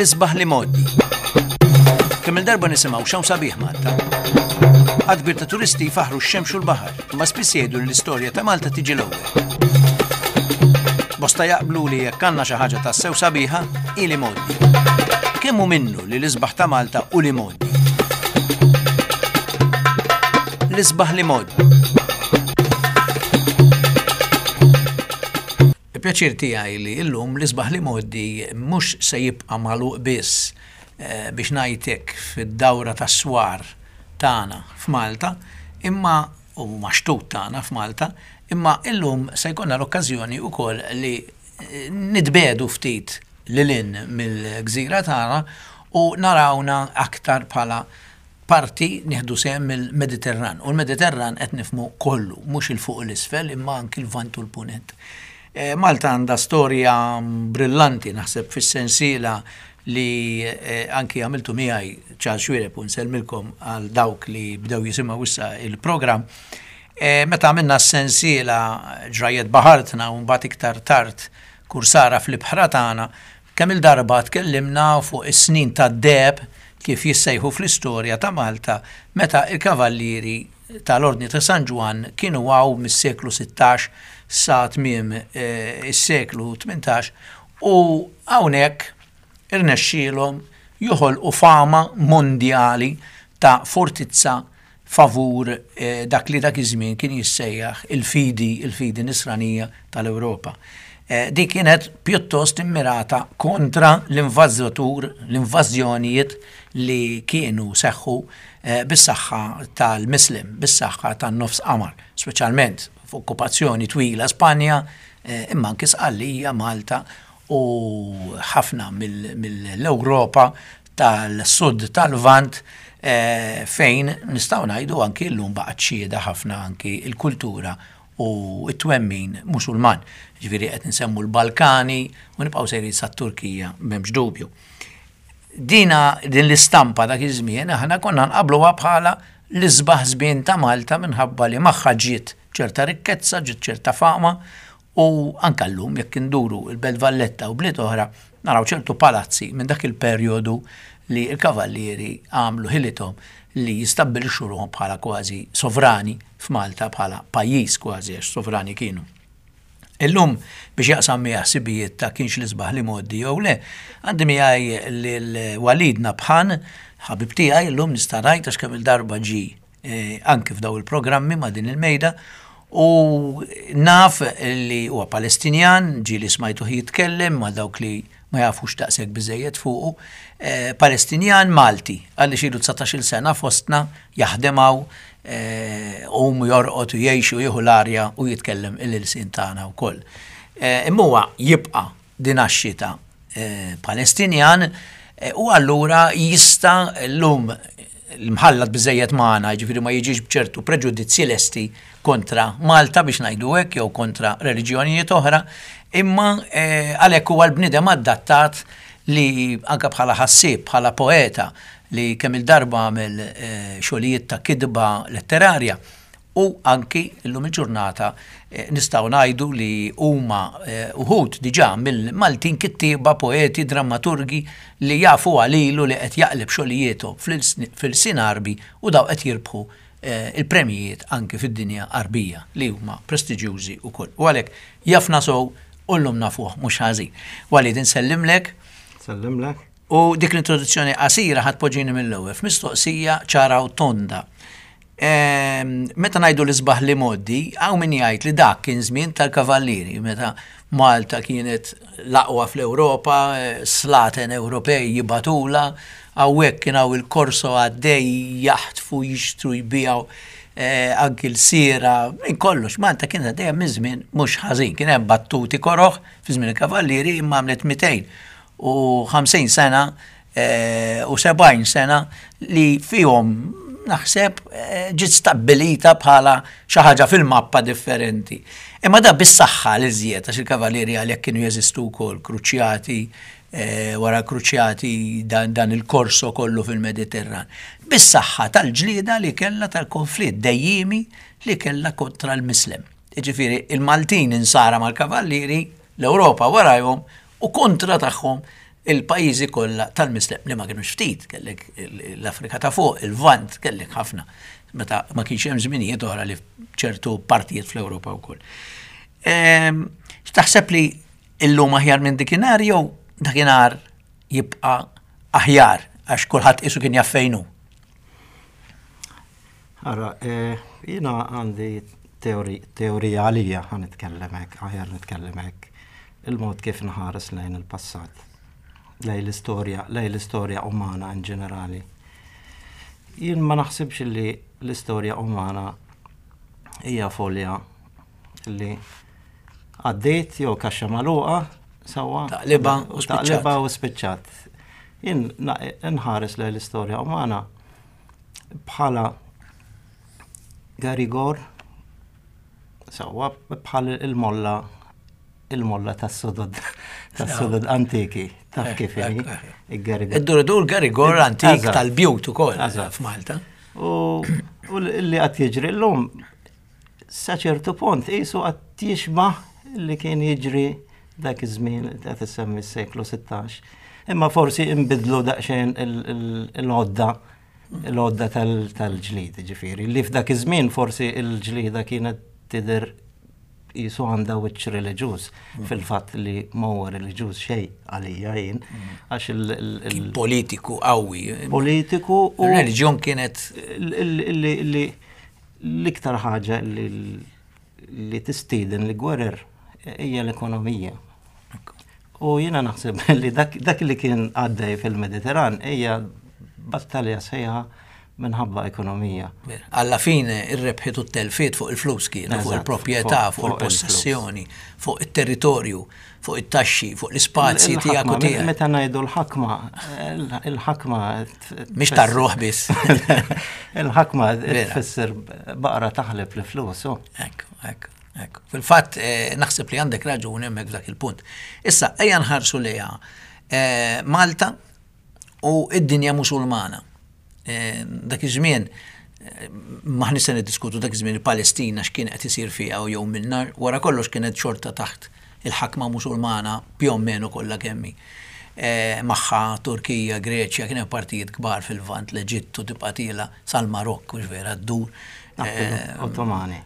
L-isbaħ l-imgħoddi. Kemm il-darba nisimgħu x'hawn sabiħ Malta. Għadd kbir ta' turisti jfaħħru x-xemx u l-baħar, imma spiss jgħidu li l-istorja ta' Malta tiġi l-ewwel. Bosta jaqblu li jekk għandna xi ħaġa tassew sabiħa, hi l-imgħoddi. Kemm hu minnu li l-isbaħ ta' Malta hu l-imgħoddi? L-isbaħ l-imgħoddi. Il-pjaċir tiegħi li llum l-isbaħ l-imgħoddi mhux se jibqa' magħluq biss biex ngħid hekk fid-dawra tas-swar tagħna f'Malta, imma u max-xtut tagħna f'Malta, imma illum se jkollna l-okkażjoni wkoll li nitbiegħdu ftit lil hinn mill-gżira tagħna u narawna aktar bħala parti nieħdu sehem mill-Mediterran. U l-Mediterran qed nifhmu kollu, mhux 'il fuq u 'l isfel imma anki l-Lvant u l-Punent. Malta għandha storja brillanti naħseb fis-sensiela li anki għamiltu miegħi Charles Xuereb u nsellmilkom għal dawk li bdew jisimgħu issa il-programm. Meta għamilna s-sensiela Ġrajjet Baħartna u mbagħad iktar tard Kursara fl-Ibħra Tagħna, Kemm-il darba tkellimna fuq is-snin tad-deheb kif jissejħu fl-istorja ta' Malta meta l-Kavallieri tal-Ordni ta' San Ġwann kienu hawn mis-seklu 16 sa tmiem is-seklu 18 u hawnhekk irnexxielhom joħolqu fama mondjali ta' fortizza favur dak li dak iż-żmien kien jissejjaħ il-fidi, il-fidi nisranija tal-Ewropa. Dik kienet pjuttost immirata kontra l-invażatur, l-invażjonijiet li kienu seħħu bis-saħħa tal-Muslim, bis-saħħa tan-nofs qamar, speċjalment f'okkupazzjoni twila Spanja, imma anki Sqallija, Malta u ħafna mill-Ewropa tal-Sud tal-Lvant fejn nistgħu ngħidu anki llum baqgħet xhieda ħafna anki l-kultura u t-twemmin Musulman. Ġifieri qed insemmu l-Balkani u nibqgħu sejrin sat-Turkija m'hemmx dubju. Dina din l-istampa dak iż-żmien aħna konna nqabbluha bħala l-isbaħ żmien ta' Malta minħabba li magħha ġiet ċerta rikkezza, ġiet ċerta fama U anke llum jekk induru l-Belt Valletta u bliet oħra naraw ċertu palazzi minn dak il-perjodu li l-kavallieri għamlu ħilithom li jistabbilixxu ruħhom bħala kważi sovrani f'Malta bħala pajjiż kważi għax sovrani kienu. Illum biex jaqsam miegħi ħsibijiet ta' kienx l-isbaħ l-imgħoddi jew le, għandi miegħi lil Walid Nabhan, ħabib tiegħi llum nista' ngħid għax kemm-il darba ġie anki f'daw il-programmi ma' din il-mejda u naf li huwa Palestinjan, ġieli smajtuh jitkellem ma' dawk li ma jafux daqshekk biżejjed fuqu, eh, Palestinjan Malti, għaliex ilu 19-il sena fostna jaħdem hawn eh, um jorqod u jgħix u jieħu l-arja u jitkellem il-ilsien tagħna wkoll. Eh, imma huwa jibqa' din għax-xita Palestinjan u allura jista' llum l-mħallat biżejjed magħna, jiġifieri ma jiġix b'ċertu preġudizzji lesti kontra Malta biex ngħidu hekk jew kontra reliġjonijiet oħra, imma eh, għalhekk huwa l-bniedem adattat li anke bħala ħassieb, bħala poeta li kemm il-darba għamel eh, xogħlijiet ta' kitba letterarja, U anki llum il-ġurnata nistgħu ngħidu li huma wħud diġà mill-Maltin kittieba, poeti, drammaturgi li jafu għalilu li qed jaqleb xogħlijiethom fl-ilsien Għarbi u dawn qed jirbħu l-premjijiet anki fid-dinja Għarbija li huma prestiġjużi wkoll. U għalhekk jafna sew u llum nafuh mhux ħażin. Walid insellimlek. Nsellimlek. U dik l-introduzzjoni qasira ħa tpoġġini mill-ewwel f'mistoqsija ċara u tonda. Meta ngħidu l-isbaħ li mgħoddi, hawn min jgħid li dak kien żmien tal-kavallieri, meta Malta kienet l-aqwa fl-Ewropa, slaten Ewropej jibgħatulha, hawnhekk kien hawn il-korso għaddej jaħtfu, jixtru, jbigħu anki l-siera, minn kollox. Malta kienet għaddejja minn żmien mhux ħażin. Kien hemm battuti koroh fi żmien il-kavallieri imma għamlet 250 sena u 70 sena li fihom naħseb eh, ġiet stabbilita bħala xi ħaġa fil-mappa differenti. Imma da bis-saħħa li żjed għax il-kavallieri għalhekk kienu jeżistu wkoll kruċjati eh, wara kruċjati dan, dan il-korso kollu fil-Mediterran. Bis-saħħa tal-ġlieda li kellha tal-konflitt dejjimi li kellha kontra l-Mislem. Jiġifieri il-Maltin insara mal-kavallieri, l-Ewropa warajhom u kontra tagħhom il-pajjiżi kollha tal-Mislem li ma kienux ftit, kellek l-Afrika ta' fuq, il-Lvant, kellek ħafna. Meta ma kienx hemm żminijiet oħra li ċertu partijiet fl-Ewropa wkoll. Ehm, x'taħseb li illum aħjar minn dikinhar jew dakinhar jibqa' aħjar għax kulħadd qisu kien jaf fejn hu? Ara, eh, jiena għandi teorija għalija ħa nitkellem hekk, aħjar nitkellem hekk, il-mod kif nħares lejn il-passat, lejn l-istorja, lejn l-istorja umana in ġenerali. Jien ma naħsibx li l-istorja umana hija folja li għaddiet jew kaxxa magħluqa sewwa. Taqliba u spiċċat. Taqliba u spiċċat. Jien nħares lejn l-istorja umana bħala Garigor sewwa bħal il-molla il-molla tas-sodod tas-sodod antiki taf kif inhi il-Garigor. Id-dur Garigor antik tal-bjut ukoll f'Malta. U li qed jiġri llum sa ċertu punt qisu qed jixbah li kien jiġri dak iż-żmien qed issemmi s-seklu 16. Imma forsi inbidlu daqsxejn il-għodda l-għodda tal-ġlid, ġifieri, li f'dak iż-żmien forsi l-ġlida kienet tidher qisu għandha wiċċ reliġjuż, mm. fil-fatt li ma huwa reliġjuż xejn għalija jien, mm. għax il- Politiku qawwi. Politiku u. Reliġjon kienet. Li L-iktar ħaġa li tistieden l-gwerer hija l-ekonomija. U jiena naħseb li dak li kien għaddej fil-Mediterran hija battalja sħiħa minħabba ekonomija. Alla fine ir-rebħiet u t-telfiet fuq il-flus kienu, fuq il-proprjetà, fuq il-possessjoni, fuq it-territorju. fuq it-taxxi, fuq l-ispazji tiegħek u tiegħek. Meta ngħidu l-ħakma, il-ħakma. Mhix tar-ruħ biss. Il-ħakma tfisser baqra taħleb l-flus. Ekku, ekku. Ekku. Fil-fatt, eh, naħseb li għandek raġun hemmhekk f'dak il-punt. Issa, ejja nħarsu lejha eh, Malta u id-dinja musulmana. Eh, dak iż-żmien eh, maħni se niddiskutu dak iż-żmien il-Palestina x'kien qed isir fiha u jew minna, wara kollox kienet xorta taħt il-ħakma Musulmana più o meno kollha kemm hi. Eh, magħha Turkija, Greċja, kien hemm partijiet kbar fil-Lvant, l-Eġittu tibqa' tiela sal-Marokk, mhux vera, ddur. Ottomani.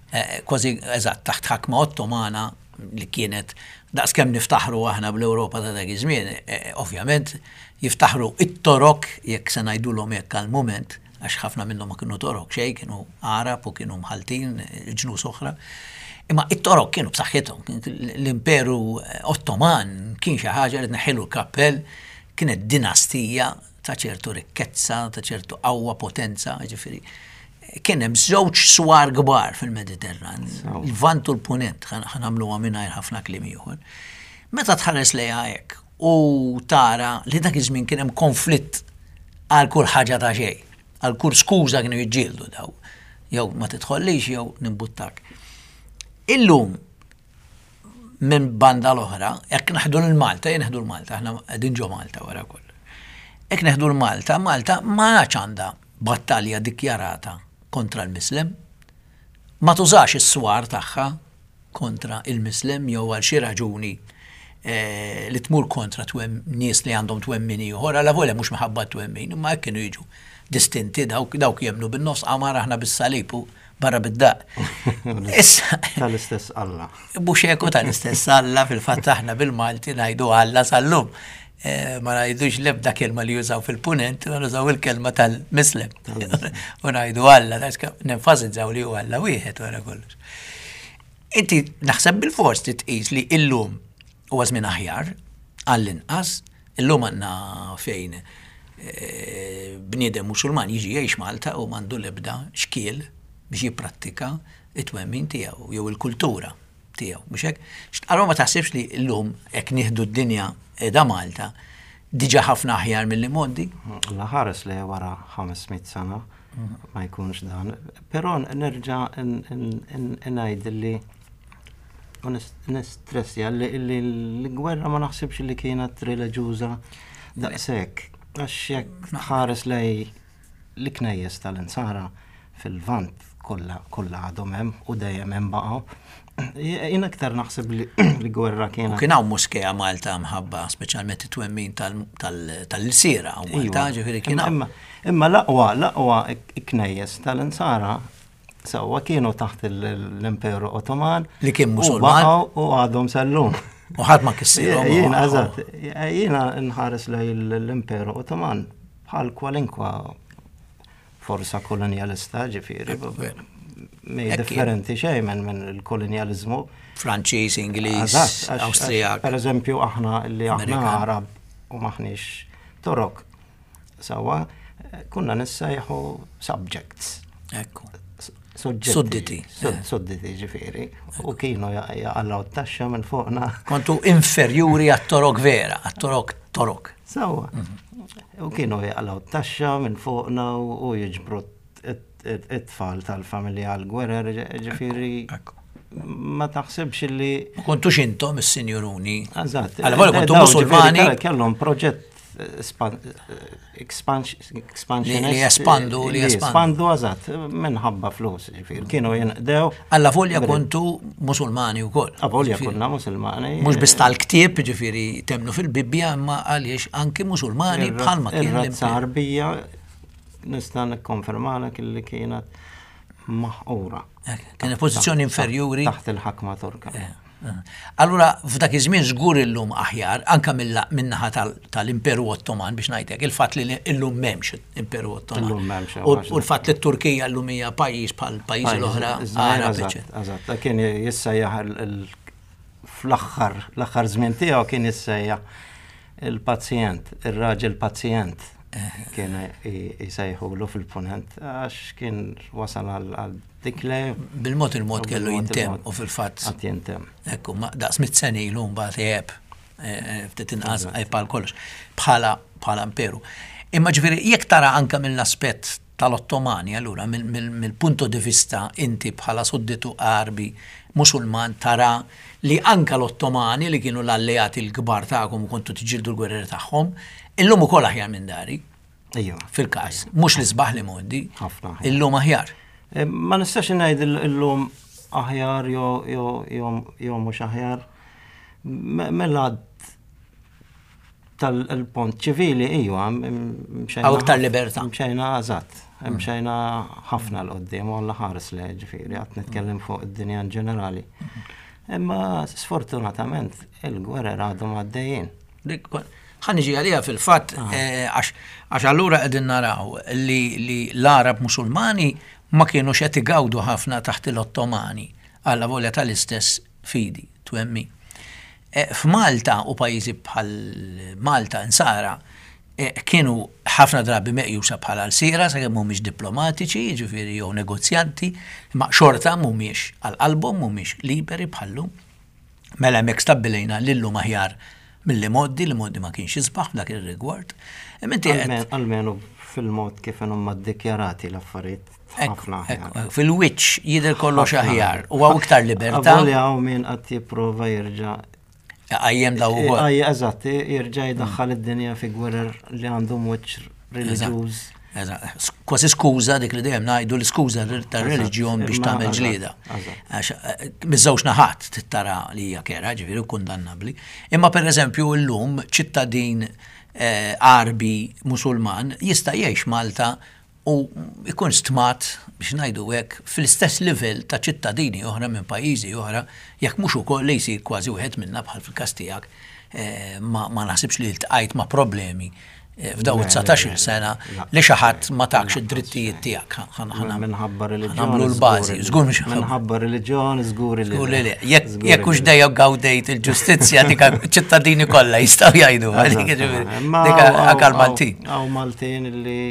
Kważi, eżatt, taħt ħakma Ottomana li kienet daqskemm niftaħru aħna bl-Ewropa ta' dak iż-żmien, eh, ovvjament jiftaħru it-Torok, jekk se ngħidulhom hekk għall-mument, għax ħafna minnhom ma kienu Torok xejn, kienu Għarab u kienu mħaltin, eh, ġnus oħra. Imma it-Torok kienu b'saħħithom, l-Imperu Ottoman kien xi ħaġa li tneħħilu l-kappell, kienet dinastija ta' ċertu rikkezza, ta' ċertu qawwa, potenza, ġifieri. Kien hemm żewġ swar kbar fil-Mediterran, il-Lvant u l-Punent, ħa nagħmluha mingħajr ħafna kliem ieħor. Meta tħares lejha hekk u tara li dak iż-żmien kien hemm konflitt għal kull ħaġa ta' xejn, għal kull skuża kienu jiġġieldu daw. Jew ma tidħollix jew nimbuttak. Illum Minn banda l-oħra, jekk naħdu l-Malta, jien neħdu l-Malta, aħna qegħdin ġo Malta wara kollox. Jekk neħdu l-Malta, Malta ma għadx għandha battalja dikjarata kontra l-Mislem. Ma tużax is-swar tagħha kontra il-Mislem jew għal xi raġuni eh, li tmur kontra twem nies li għandhom twemmin ieħor, għala volja mhux minħabba twemmin, imma hekk kienu jiġu distinti dawk dawk jemmnu bin-nofs qamar aħna bis-salib u barra bid-daq. Issa. Tal-istess Alla. Mhux hekk tal-istess Alla fil-fatt aħna bil-Malti ngħidu Alla sal-lum. Eh, ma ngħidux l-ebda kelma li jużaw fil-punent, ma nużaw il-kelma tal-mislem. U ngħidu Alla, nenfasizzaw li hu Alla wieħed wara kollox. Inti naħseb bil-fors titqis li illum huwa żmien aħjar għall-inqas Illum għandna fejn eh, bniedem Musulman jiġi jgħix Malta u m'għandu l-ebda xkiel biex jipprattika it-twemmin tiegħu jew il-kultura tiegħu, mhux hekk? Allura ma taħsibx li llum hekk nieħdu d-dinja qiegħda Malta diġà ħafna aħjar milli modi? La ħares li wara 500 sena ma jkunx dan. Però nerġa' ngħid li U nistressja li l-gwerra ma naħsibx li kienet reliġjuża daqshekk. Għax jekk tħares lej l-knejjes tal-insara fil-Lvant kollha kollha għadhom hemm u dejjem hemm baqgħu. Jien aktar naħseb li l-gwerra kienet. U kien hawn moskea Malta mħabba speċjalment it-twemmin tal-lsiera u Malta, iva. ġifieri kien hawn. Imma l-aqwa, l-aqwa knejjes tal-insara sewwa kienu taħt l-Imperu Ottoman. Li kien Musulman. U għadhom sal-lum. U ħadd ma kissirhom. Jiena eżatt, jiena nħares lej l-Imperu Ottoman bħal kwalinkwa forsa kolonjalista ġifieri. Mej differenti xejn minn min il-kolonjalizmu. Franċiż, Ingliż, Awstrijak. Per eżempju aħna li aħna Arab u maħniex Torok. Sawa, kunna nissejħu subjects. Ekku. Sudditi. Sudditi ġifieri. U kienu jaqalgħu t-taxxa minn fuqna. Kontu inferjuri għat-torok vera, għat-torok torok. Sawa. Mhm. U kienu jaqalgħu t-taxxa minn fuqna u jiġbru it-tfal tal-familja għal-gwerer, ġifieri. Ma taħsibx li. Ma kontux intom is-sinjuruni. Eżatt. Għal kontu musulmani. Kellhom proġett expansionist. Li jespandu, li jespandu eżatt, minħabba flus, ġifieri. Kienu jinqdew. Alla volja kontu musulmani wkoll. Avolja konna musulmani. Mhux biss tal-ktieb, ġifieri temnu fil-Bibbja, imma għaliex anki musulmani bħalma kien. Ir-razza Arbija nista' nikkonfermalek li kienet maħqura. Kienet pożizzjoni inferjuri. Taħt il-ħakma Torka. Eh. Allura f'dak iż-żmien żgur illum aħjar, anke min-naħa tal-Imperu Ottoman biex ngħidlek, il-fatt li illum m'hemmx Imperu Ottoman. Illum m'hemmx. U l-fatt li t-Turkija llum hija pajjiż bħal pajjiżi l-oħra Għarab. Eżatt, kien jissejjaħ fl-aħħar, l-aħħar żmien tiegħu kien jissejjaħ il-pazjent, ir-raġel pazjent kien jsejħulu fil-punent għax kien wasal għal dik le. Bil-mod il-mod kellu jintemm u fil-fatt. Għad jintemm. Ekku, daqs mit seni ilu mbagħad għeb eh, eh, ftit inqas għeb għal kollox bħala bħala imperu. Imma ġifieri jekk tara anke mill-aspett tal-Ottomani, allura mill-punto di vista inti bħala sudditu Għarbi Musulman tara li anke l-Ottomani li kienu l-alleati l-kbar tagħkom u kontu tiġġieldu l-gwerrer tagħhom, illum ukoll aħjar minn dari. Ejja. Fil-każ, mhux l-isbaħ li mgħoddi. Ħafna. Illum aħjar. Eh, ma nistax ngħid illum aħjar jew mhux aħjar. Mela tal-pont ċivili, ijwa, mxejna. Għaw iktar libertà. Mxejna, eżatt, mxejna ħafna l-qoddim, u għalla ħares le, ġifiri, għat nitkellem fuq id-dinja ġenerali. Imma sfortunatament il-gwerer għadhom għaddejjin. Ħa niġi għaliha fil-fatt, ah. eh, għax allura qegħdin naraw li l-Arab Musulmani ma kienu qed igawdu ħafna taħt l-Ottomani għalla volja tal-istess fidi, twemmin. F'Malta u pajjiżi bħal Malta Insara kienu ħafna drabi meqjusa bħala lsiera sakemm mhumiex diplomatiċi, jiġifieri jew negozjanti, imma xorta mhumiex għal qalbhom, mhumiex liberi bħal-lum. Mela hemmhekk stabbilejna li llum aħjar mill-imgħoddi, l-imgħoddi ma kienx isbaħ f'dak ir-rigward. Imma inti qed Almenu fil-mod kif inhuma ddikjarati l-affarijiet ħafna aħjar. Fil-wiċċ jidher kollox aħjar u hawn iktar libertà. Avolja hawn min qed jipprova jerġa' Għajjem daw ukoll. Għajja, eżatt, jerġa' jdaħħal id-dinja fi gwerer li għandhom wiċċ reliġjuż. Kważi skuża dik li dejjem ngħidu l-iskuża tar-reliġjon biex tagħmel ġlieda. Għax eh, miż-żewġ naħat tittara li hija kera, ġifieri kundannabbli. Imma pereżempju llum ċittadin eh, Għarbi Musulman jista' jgħix Malta u jkun stmat, biex ngħidu hekk, fl-istess livell ta' ċittadini oħra minn pajjiżi oħra, jekk mhux ukoll li jsir kważi wieħed minna bħal fil-każ tiegħek, ma naħsibx li ltqajt ma' problemi f'dawn it-dsatax-il sena li xi ħadd ma takx id-drittijiet tiegħek. Minħabba reliġjon. Nagħmlu l-bażi, żgur mhux. Minħabba reliġjon, żgur li. Żgur li le. Jekk hux dejjem gawdejt il-ġustizzja dik ċittadini kollha jistgħu jgħidu. Dik anke l-Maltin. Hawn Maltin li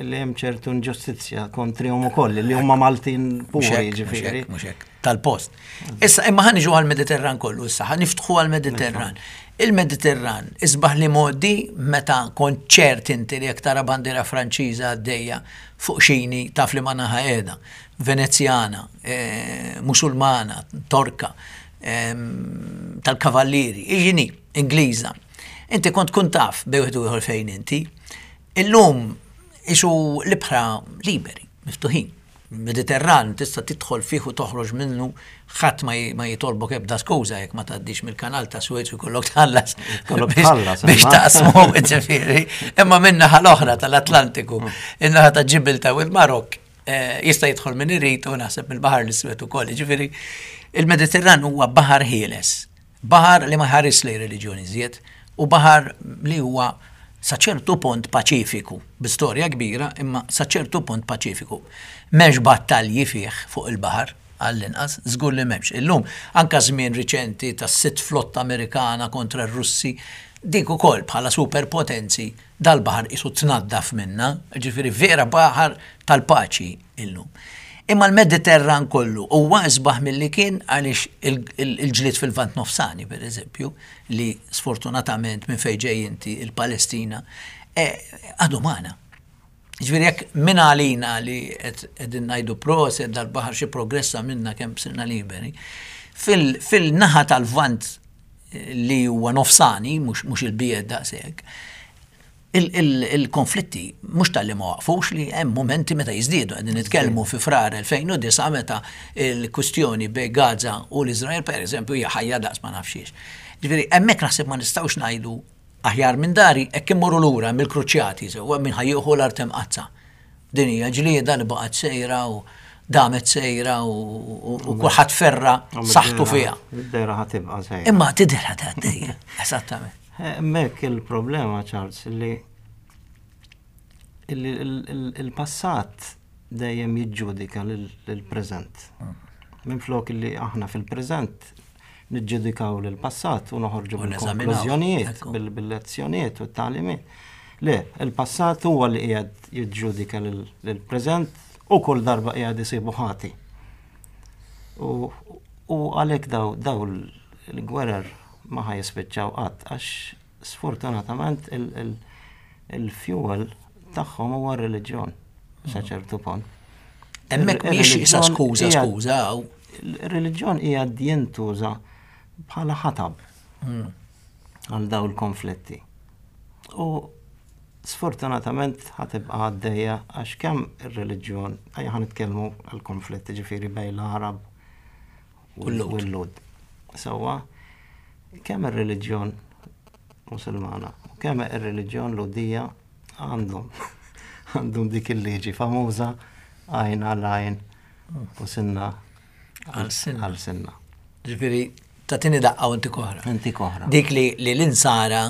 li hemm ċertu inġustizzja kontrihom ukoll li huma Maltin puri ġifieri. Mhux hekk, tal-post. Issa imma ħa niġu għall-Mediterran kollu issa, ħa niftħu għall-Mediterran. Il-Mediterran isbaħ li modi meta kont ċert inti li jekk tara bandiera Franċiża għaddejja fuq xini taf li ma naħa qiegħda. Venezjana, eh, Musulmana, Torka, ehm, tal-Kavallieri, iġini, Ingliża. Inti kont tkun taf bej wieħed u ieħor fejn inti. Illum isu l-ibħra liberi, miftuħin. Mediterran tista' tidħol fih u toħroġ minnu ħadd ma jitolbok ebda skuża jekk ma tgħaddix mill-kanal ta' Suez u jkollok tħallas. Kollok tħallas. Biex taqsmu, ġifieri. Imma min-naħa l-oħra tal-Atlantiku, in-naħa ta' Ġibilta u l-Marok, eh, jista' jidħol min irid u naħseb mill-Baħar l-Iswed ukoll. Ġifieri, il-Mediterran huwa baħar ħieles. Baħar li ma jħares lejn reliġjon iżjed u baħar li huwa sa ċertu punt paċifiku, bi storja kbira imma sa ċertu punt paċifiku. M'hemmx battalji fih fuq il-baħar, għall-inqas, żgur li m'hemmx. Illum, anke żmien riċenti tas-sitt flotta Amerikana kontra r-Russi, dik ukoll bħala superpotenzi dal-baħar qisu tnaddaf minnha, jiġifieri vera baħar tal-paċi illum. Imma l-Mediterran kollu huwa isbaħ milli kien għaliex il-ġlied fil-Lvant Nofsani, per eżempju, li sfortunatament minn fejn ġej inti il-Palestina, eh, għadu magħna. Ġifieri jekk minn għalina li qegħdin ngħidu proset dal-baħar xi progress għamilna kemm sirna liberi, fil-naħa tal-Lvant eh, li huwa nofsani, mhux il-bied daqshekk, Il-konflitti mhux talli ma waqfux li hemm mumenti meta jiżdiedu. Qegħdin nitkellmu fi Frar 2009 meta l-kwistjoni bejn Gaza u l-Iżrael pereżempju hija ħajja daqs ma nafx xiex. Ġifieri hemmhekk naħseb ma nistgħux ngħidu aħjar minn dari hekk immorru lura mill-kruċjati sewwa min ħa jieħu l-art imqaddsa. Din hija ġlieda li baqgħet sejra u damet sejra u kulħadd ferra saħħtu fiha. Id-dera ħa tibqa' sejra. Imma tidher ħa tgħaddejja, eżattament. Hemmhekk il-problema, Charles, li il-passat dejjem jiġġudika lill-preżent. Minflok li aħna fil-preżent niġġudikaw lill-passat u noħorġu bil-konklużjonijiet, bil-lezzjonijiet u t-tagħlimiet. Le, il-passat huwa li qiegħed jiġġudika lill-preżent u kull darba qiegħed isibu ħati. U għalhekk daw il-gwerer ma ħa jispiċċaw qatt għax sfortunatament il-fuel tagħhom huwa r-reliġjon sa ċertu punt. Hemmhekk mhix isa skuża skuża. Il-reliġjon hija jintuża bħala ħatab hmm. għal daw il-konflitti. U sfortunatament ħatibqa għaddejja għax kemm ir-reliġjon, ejja ħa nitkellmu għal konflitti ġifieri bejn l-Arab u l-Lhud. Sewwa, kemm ir-reliġjon Musulmana u kemm ir-reliġjon Lhudija għandhom għandhom dik il-liġi famuża għajn għal għajn u sinna għal sinna. Ġifieri tagħtini daqqa u ntik oħra. Ntik oħra. Dik li l-insara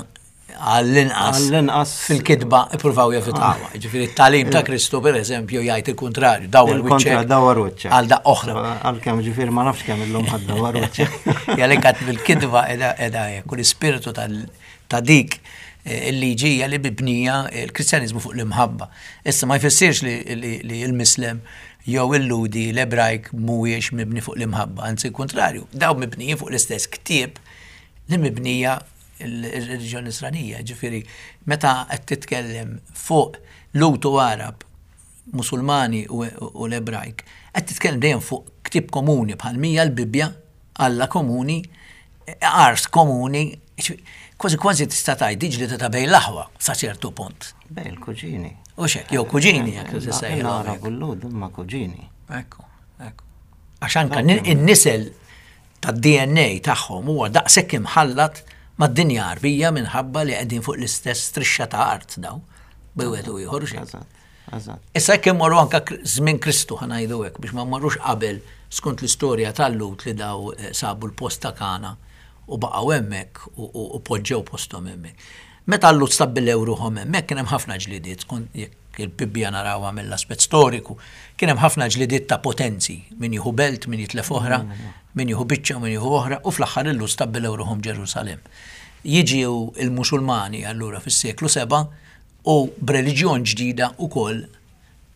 għall-inqas għall-inqas fil-kitba ippruvaw jevitawha. Ah. Ġifieri t-tagħlim ta' Kristu pereżempju jgħid il-kuntrarju, dawar wiċċek. Dawar wiċċek. Għal daq oħra. Għalkemm ġifieri ma nafx kemm illum ħadd dawar wiċċek. Jgħalek għad bil-kitba qiegħda hekk u l-ispirtu ta' dik eh, il-liġi hija li mibnija l-Kristjaniżmu fuq l-imħabba. Issa ma jfissirx li l-Mislem jew il-Ludi, l-Ebrajk mhuwiex mibni fuq l-imħabba, anzi kontrarju, daw mibnijin fuq l-istess ktieb li mibnija il-reliġjon Nisranija, ġifieri meta qed titkellem fuq Lut u Għarab, Musulmani u l-Ebrajk, qed titkellem dejjem fuq ktieb komuni bħal mija l-Bibbja, Alla komuni, art komuni, kważi kważi tista' tgħid diġli ta' bejn l-aħwa sa ċertu punt. Bejn il-kuġini. U xek, jew kuġini jekk tista' L-Għarab u l-Lhud huma kuġini. Ekku, ekku. Għax anka in-nisel tad-DNA tagħhom huwa daqshekk imħallat mad-dinja Għarbija minħabba li qegħdin fuq l-istess strixxa ta' art daw, bejn wieħed u ieħor. Issa jekk immorru anka żmien Kristu ħa ngħidu hekk biex ma mmorrux qabel skont l-istorja tal-Lhud li daw eh, sabu l-post ta' Kana u baqgħu hemmhekk u poġġew posthom hemmhekk. Meta l-Lhud stabbilew ruħhom hemmhekk kien hemm ħafna ġlidiet skont jekk il-Bibbja narawha mill-aspett storiku, kien hemm ħafna ġlidiet ta' potenzi, min jieħu belt, min jitlef oħra, min jieħu biċċa, min jieħu oħra, u fl-aħħar il-Lhud stabbilew ruħhom Ġerusalemm. Jiġu l-Musulmani allura fis-seklu 7 u b'reliġjon ġdida wkoll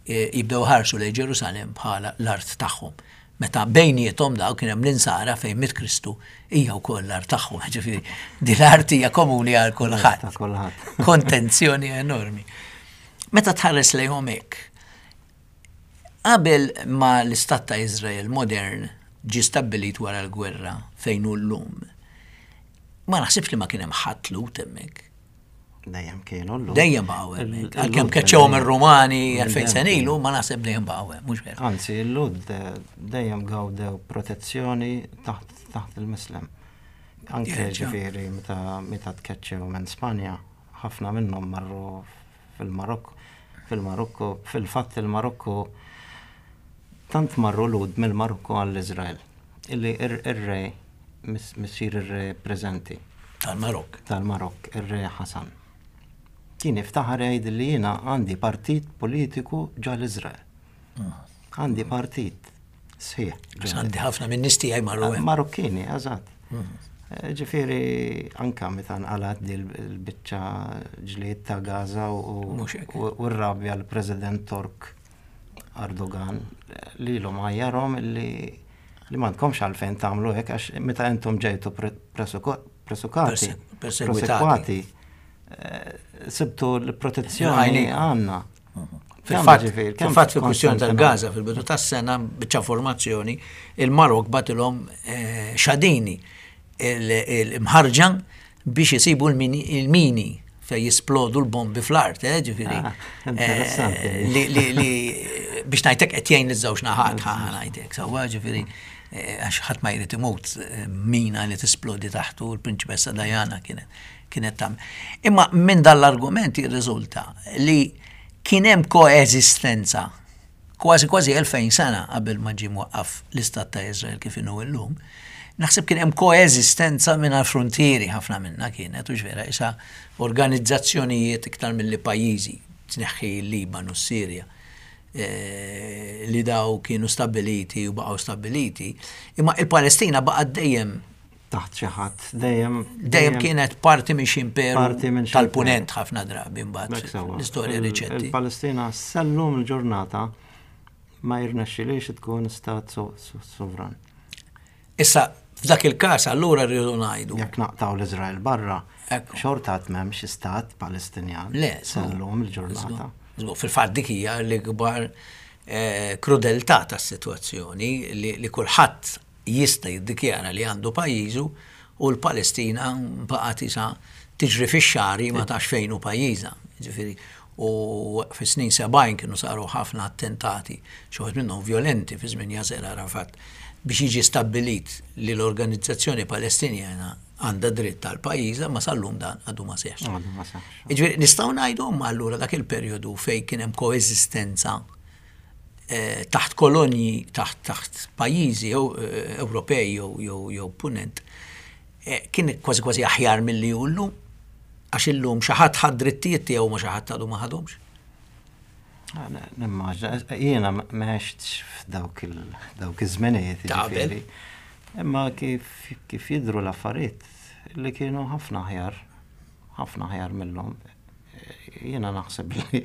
jibdew iħarsu lejn Ġerusalemm bħala l-art tagħhom. Meta bejniethom daw kien hemm l-insara fejn miet Kristu hija wkoll l-art tagħhom. Ġifieri din l-art hija komuni għal kulħadd. Kontenzjoni enormi. Meta tħares lejhom hekk, qabel ma l-istat ta' Iżrael modern ġie stabbilit wara l-gwerra fejn hu llum, ma naħsibx li ma kien hemm ħadd Lhud hemmhekk. Dejjem kienu l Dejjem baqgħu hemmhekk. Għalkemm keċċewhom ir-Rumani 2000 sena ilu, ma naħseb dejjem baqgħu hemm, mhux veru. Anzi, l-Lud eh, dejjem gawdew protezzjoni taħt il-Mislem. Anke ġifieri meta tkeċċew minn Spanja, ħafna minnhom marru fil-Marokku, fil-Marokku, fil-fatt il-Marokku tant marru Lud mill-Marokku għall-Iżrael illi ir-re missier ir-re preżenti. Tal-Marokk. Tal-Marokk, ir-re Ħasan. Kien iftaħar jgħid li jiena għandi partit politiku ġo l-Iżrael. Ah. Għandi partit sħiħ. Għandi ħafna minn nies tiegħi marru hemm. Marokkini, eżatt. Mhm. Eh, ġifieri anka meta nqalat di l-biċċa ġlied ta' Gaza u r-rabja l-President Tork Erdogan lilhom għajjarhom li li m'għandkomx għalfejn tagħmlu hekk għax meta intom ġejtu presukati, perseguitati, eh, sibtu l-protezzjoni għandna. Fil-fatt, fil-fatt fil-kwistjoni tal-Gaza fil-bidu tas-sena biċċa formazzjoni, il-Marok batilhom eh, xadini il-mħarġa biex isibu l-mini fej jisplodu l-bombi fl-art, eh, ġifiri. Ah, interessanti. Eh, li biex najtek qed jgħin iż-żewġ naħat ħa ngħidlek, sewwa ġifieri eh, għax ħadd ma jrid imut mina li tisplodi taħtu l-Prinċipessa Diana kienet kienet tam. Imma minn dan l-argument jirriżulta li kien hemm koeżistenza kważi kważi 2000 sena qabel ma ġie mwaqqaf l-Istat ta' Iżrael kif inhu llum, naħseb kien hemm koeżistenza mingħajr fruntieri ħafna minnha kienet, hux vera, isa organizzazzjonijiet iktar milli pajjiżi, tneħħi l-Libanu, s-Sirja, eh, li daw kienu stabbiliti u baqgħu stabbiliti, imma il-Palestina baqgħet dejjem taħt xi ħadd dejjem dejjem kienet parti minn xi imperu tal-punent ħafna drabi mbagħad l-istorja riċenti. Il-Palestina sallum il-ġurnata ma jirnexxilix tkun stat sovran. Issa f'dak il-każ allura rridu ngħidu. Jekk naqtaw l-Iżrael barra, xorta għad m'hemmx stat Palestinjan. Le, sallum il-ġurnata. Fil-fatt dik hija l-ikbar eh, krudeltà tas-sitwazzjoni li kulħadd jista' jiddikjara li għandu pajjiżu u l-Palestina baqgħet isa tiġri fix-xagħri ma tafx fejn hu pajjiżha. Jiġifieri u fis-snin 70 kienu saru ħafna attentati, xi wħud minnhom vjolenti fi żmien Yasser Arafat, biex jiġi stabbilit li l-organizzazzjoni Palestinjana għandha dritt għal pajjiżha, ma sal-lum dan għadu ma seħħx. Għadu ma seħħx. Jiġifieri nistgħu ngħidu imma allura dak il-perjodu fejn kien hemm koeżistenza Eh, taħt kolonji, taħt taħt pajjiżi jew eh, Ewropej jew jew jew punent, eh, kien kważi kważi aħjar milli hu llum. Għax illum xi ħadd ħadd drittijiet tiegħu ma xi ħadd għadu ma ħadhomx. Ah, nimmaġna, jiena m'għextx f'dawk dawk iż-żmenijiet. Ġifieri. Imma kif kif jidhru l-affarijiet li kienu ħafna aħjar, ħafna aħjar millum. Jiena naħseb li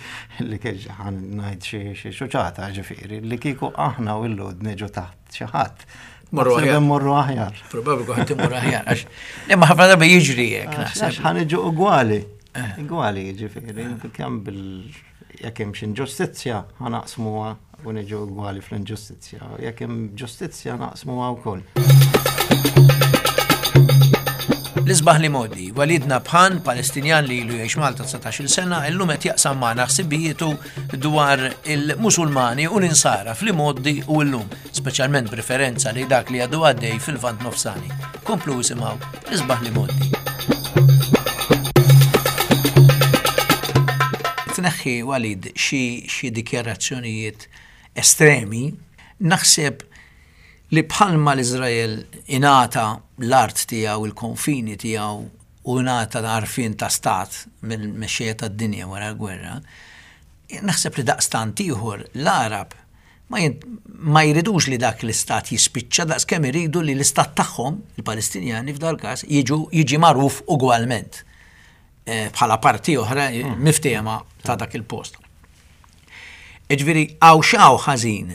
li kien ħan ngħid xi xuċata ġifieri li kieku aħna u l-lud niġu taħt xi ħadd. Morru aħjar. Morru aħjar. Probabbli kont imur aħjar. Għax imma ħafna drabi jiġri hekk naħseb. Għax ħan niġu ugwali. Eh. Ugwali ġifieri kemm bil jekk hemm xi inġustizzja ħa naqsmuha u niġu ugwali fl-inġustizzja. Jekk hemm ġustizzja naqsmuha wkoll. L-isbaħ li modi, Walid Nabhan, Palestinjan li ilu jgħix Malta 19-il sena, illum qed jaqsam magħna ħsibijietu dwar il-Musulmani u l-Insara fl-imgħoddi u llum, speċjalment b'riferenza li dak li għadu għaddej fil-Lvant Nofsani. Komplu isimgħu l-isbaħ li modi. Tneħħi Walid xi dikjarazzjonijiet estremi, naħseb li bħalma l-Iżrael ingħata l-art tiegħu, il-konfini tiegħu u ingħata għarfien ta' stat mill-mexxejja tad-dinja wara l-gwerra, naħseb li daqstant ieħor l-Għarab ma, ma jridux li dak l-istat jispiċċa daqs kemm iridu li l-istat tagħhom, il-Palestinjani f'dal-każ, jiġu jiġi magħruf ugwalment. Eh, bħala parti oħra eh, mm. miftehma ta' dak il-post. Iġviri, għaw xaw ħażin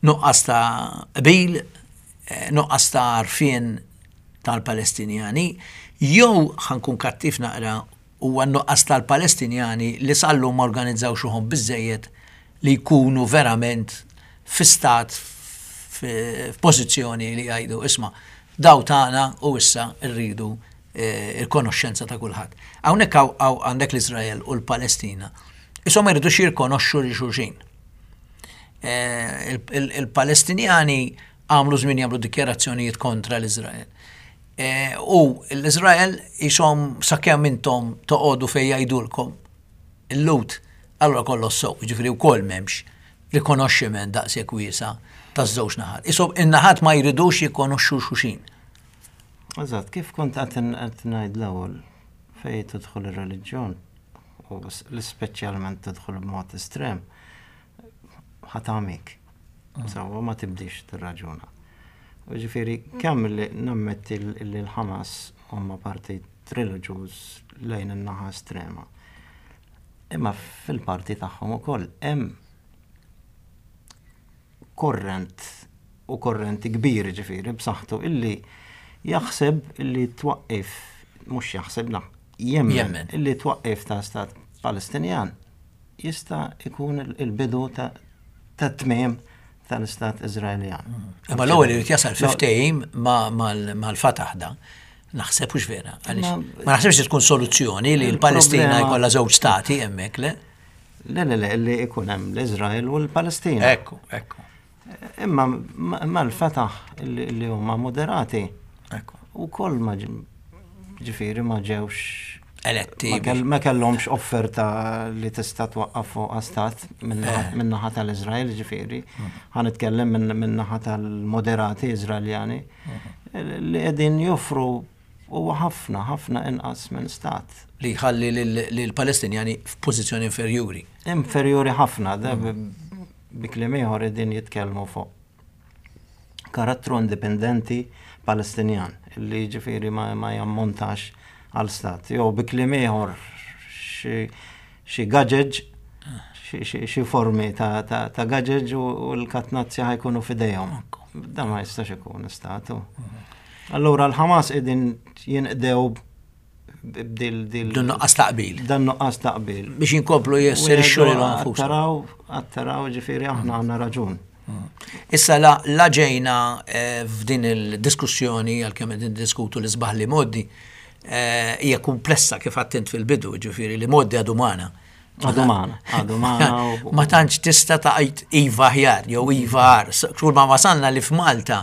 nuqqas ta' qbil, eh, nuqqas ta' arfien tal-Palestinjani, jew ħankun kattiv naqra huwa nuqqas tal-Palestinjani li sallum ma organizzaw xuħom biżejjed li jkunu verament fi stat f'pożizzjoni li jgħidu isma' daw tagħna u issa rridu il-konoxxenza ta' kulħadd. Hawnhekk għandek l-Iżrael u l-Palestina. Isom ma jridux jirkonoxxu lil xulxin. Il-Palestinjani għamlu żmien jagħmlu dikjarazzjonijiet kontra l-Iżrael. U l-Iżrael isom sakemm intom toqogħdu fejn jgħidulkom il-Lhud, allura kollox sew, jiġifieri wkoll m'hemmx rikonoxximent daqshekk wiesa' taż-żewġ naħat. Isom in-naħat ma jridux jikkonoxxu xulxin. Eżatt, kif kont qed ngħid l-ewwel fejn tidħol ir-reliġjon u l-ispeċjalment tidħol b'mod estrem, ħa tagħmik. Sewwa ma tibdix tirraġuna. U ġifieri kemm li nammetti li l-Ħamas huma partit reliġjuż lejn in-naħa estrema. Imma fil-parti tagħhom ukoll hemm korrent u korrenti kbir ġifieri b'saħħtu illi jaħseb illi twaqqif mhux jaħseb na, jemmen illi twaqqif ta' stat Palestinjan jista' jkun il-bidu ta' tmiem tal-Istat Iżraeljan. Imma l-ewwel irid jasal fi ftehim mal-Fatah da. Naħseb hux vera. Għaliex ma naħsibx li tkun soluzzjoni li l-Palestina jkollha żewġ stati hemmhekk, le? Le, le, le, li ikun hemm l-Iżrael u l-Palestina. Ekku, ekku. Imma mal-Fatah li huma moderati. Ekku. U koll ma ġifieri ma ġewx eletti. Ma kellhomx offerta li tista' twaqqaf fuq stat min-naħa tal-Iżrael, ġifieri. Ħa nitkellem min-naħa tal-moderati Iżraeljani li qegħdin joffru huwa ħafna, ħafna inqas minn stat. Li jħalli lill-Palestinjani f'pożizzjoni inferjuri. Inferjuri ħafna, bi kliem ieħor qegħdin jitkellmu fuq karattru indipendenti Palestinjan li ġifieri ma, ma jammontax għal stat. Jew bi kliem ieħor xi gaġeġ xi formi ta', ta, ta gaġeġ u l-katnazzja ħajkunu fidejhom. Dan ma jistax ikun statu. Allura l-Ħamas qegħdin jinqdew b'dil dil. Dan nuqqas taqbil. Dan nuqqas taqbil. Biex inkomplu jesserixxu lil anfushom. Taraw, taraw ġifieri aħna għandna raġun. Mm. Issa la, la ġejna eh, f'din il-diskussjoni għalkemm qegħdin diskutu l-isbaħ li moddi eh, hija komplessa kif għattint fil-bidu, ġifieri li moddi għadu magħna. Għadu magħna, għadu magħna. Ma tantx tista' tgħid iva aħjar jew iva agħar. Kull ma wasalna li f'Malta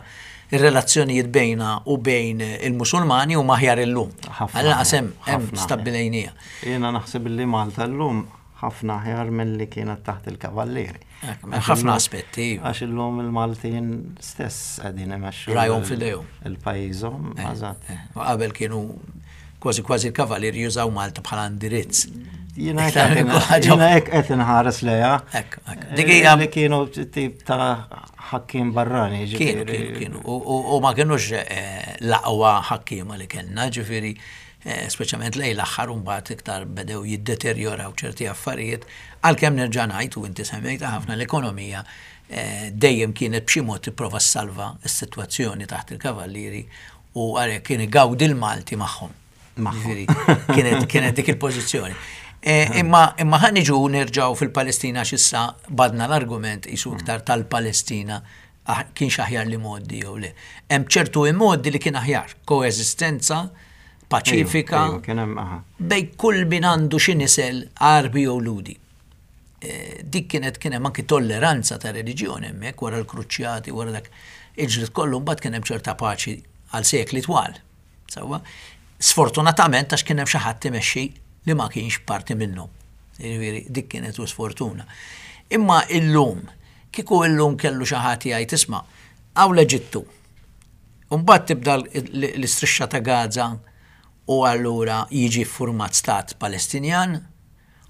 ir-relazzjonijiet bejna u bejn il-Musulmani huma aħjar illum. Għal hemm hemm stabbilejnija. Jiena naħseb li Malta llum ħafna aħjar milli kienet taħt il-Kavallieri. Ħafna aspetti. Għax illum il-Maltin stess qegħdin imexxu. Rajhom f'idejhom. Il-pajjiżhom, eh, eżatt. Eh, u qabel kienu kważi kważi l-kavalieri jużaw Malta bħala indirizz. Jiena hekk qed inħares lejha. Dik hija li kienu tip ta' ħakkim barrani, Kienu, kienu, kienu. U ma kienux eh, l-aqwa ħakkiema li kellna, ġifieri Eh, speċjalment lejn l-aħħar u mbagħad iktar bedew jiddeterjoraw ċerti affarijiet, għalkemm nerġa' ngħid u inti semmejta ħafna l-ekonomija eh, dejjem kienet b'xi mod tipprova ssalva s-sitwazzjoni taħt il-kavallieri u għalhekk kien igawdi l-Malti magħhom. Kienet kienet dik il-pożizzjoni. Eh, imma imma ħa niġu nerġgħu fil-Palestina x'issa badna l-argument isu iktar tal-Palestina ah, kienx aħjar li modi jew le. Hemm ċertu imodi li kien aħjar, koeżistenza paċifika bej kull min għandu xi nisel Għarbi jew Lhudi. Eh, dik kienet kien hemm anki tolleranza ta' reliġjoni hemmhekk wara l-kruċjati, wara dak il-ġlied kollu mbagħad kien hemm ċerta paċi għal sekli twal. Sewwa, sfortunatament għax kien hemm xi ħadd imexxi li ma kienx parti minnhom. Jiġifieri dik kienet u sfortuna. Imma illum, kieku illum kellu xi ħadd jgħid isma' hawn l-Eġittu. Mbagħad tibda l-istrixxa ta' Gaza u allura jiġi ffurmat stat Palestinjan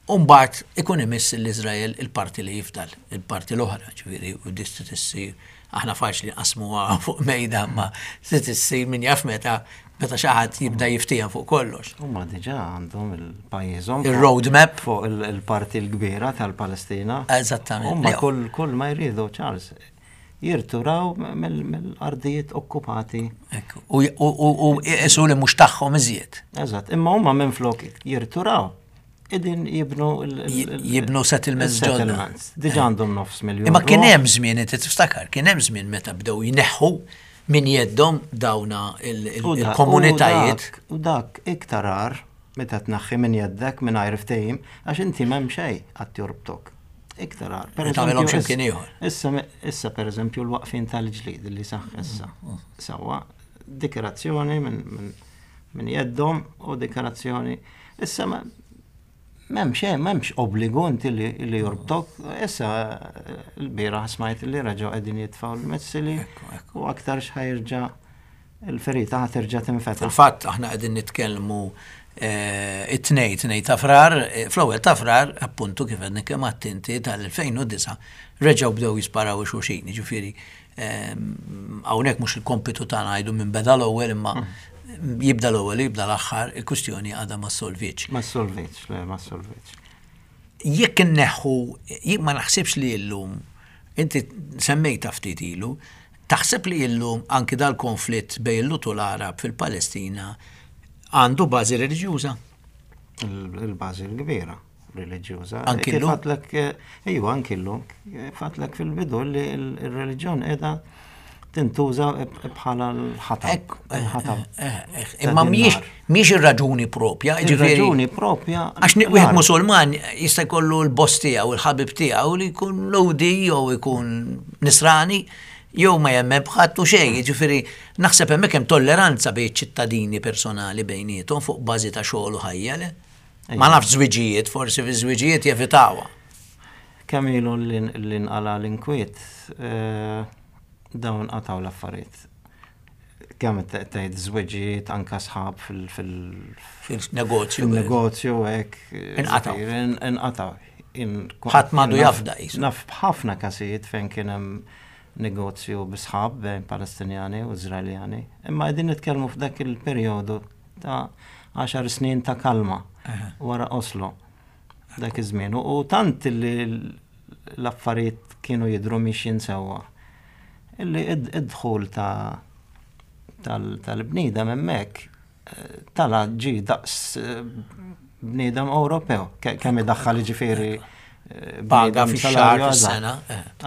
U mbagħad ikun imiss l-Iżrael il-parti li jifdal, il-parti l-oħra, ġifieri u dis trid issir, aħna faċli nqassmuha fuq mejda imma trid issir min jaf meta meta xi ħadd jibda jiftiehem fuq kollox. Huma diġà għandhom il-pajjiżhom. Il-road map. Fuq il-parti l-kbira tal-Palestina. Eżattament. Huma kull kull ma jridu, Charles, jirturaw mill-ardijiet okkupati. U iqisu li mhux tagħhom iżjed. Eżatt, imma huma minflok jirturaw Idin jibnu jibnu settlements ġodda. Diġa għandhom nofs miljon. Imma kien hemm żmien inti tiftakar, kien hemm żmien meta bdew jneħħu. minn jeddhom dawna il-komunitajiet. U dak iktar agħar meta tnaħħi minn jeddek mingħajr ftehim għax inti m'hemm xejn qatt jorbtok. Iktar agħar. Per eżempju, x'imkien ieħor. Issa, issa per eżempju l-waqfin tal-ġlid li saħ issa. Sewwa, dikjarazzjoni minn jeddhom u dikjarazzjoni. Issa M'hemm xejn, m'hemmx obbligu inti li jorbtok. Issa l-bieraħ smajt li reġgħu qegħdin jitfgħu l-missili u aktar x'ħajrġa' il-ferita ħa terġa' tinfetaħ. Fil-fatt aħna qegħdin nitkellmu eh, it-tnej, tnej ta' frar, eh, fl-ewwel ta' frar, appuntu kif għedni kemm għattinti tal-2009 reġgħu bdew jisparaw xulxin, jiġifieri Hawnhekk mhux il-kompitu tagħna ngħidu minn beda l-ewwel imma jibda l-ewwel jibda l-aħħar, il-kwistjoni għadha ma solvitx. Ma solvitx, le ma solvitx. Jekk inneħħu, jien ma naħsibx li llum, inti semmejta ftit ilu, taħseb li llum anki dal-konflitt bejn il-Lut u l-Għarab fil-Palestina għandu bażi reliġjuża? Il-bażi l-kbira. reliġjuża. Anki llum? Fatlek, eh, ejwa, anki llum. Fatlek fil-bidu li l-reliġjon qiegħda tintuża bħala l-ħatab. Il-ħatab. Eh, eh, imma mhijiex mhijiex ir-raġuni propja, ġifieri. Raġuni propja. Għax wieħed Musulman jista' jkollu l-boss tiegħu, il-ħabib tiegħu li jkun Lhudi jew ikun Nisrani jew ma jemmen b'ħadd u xejn, jiġifieri naħseb hemmhekk hemm tolleranza bejn ċittadini personali bejniethom fuq bażi ta' xogħol u ħajja, le? Ma nafx żwiġijiet, forsi fi żwiġijiet jevitawha. Kemm ilu li nqala l-inkwiet, eh, dawn qataw l-affarijiet. Kemm tgħid żwiġijiet anka sħab fil-negozju. Fil-negozju hekk. Inqataw. Inqataw. Ħadd m'għandu jafda qisu. Naf b'ħafna każijiet fejn kien hemm negozju bi sħab bejn Palestinjani u Iżraeljani. Imma qegħdin nitkellmu f'dak il-perjodu ta' għaxar snin ta' kalma wara Oslo dak iż-żmien. U tant li l-affarijiet kienu jidhru mixjin sewwa. Illi id-dħul ta' tal-bniedem hemmhekk eh, tala ġi daqs eh, bniedem Ewropew, kemm idaħħal ġifieri eh, paga fix-xahar fis-sena.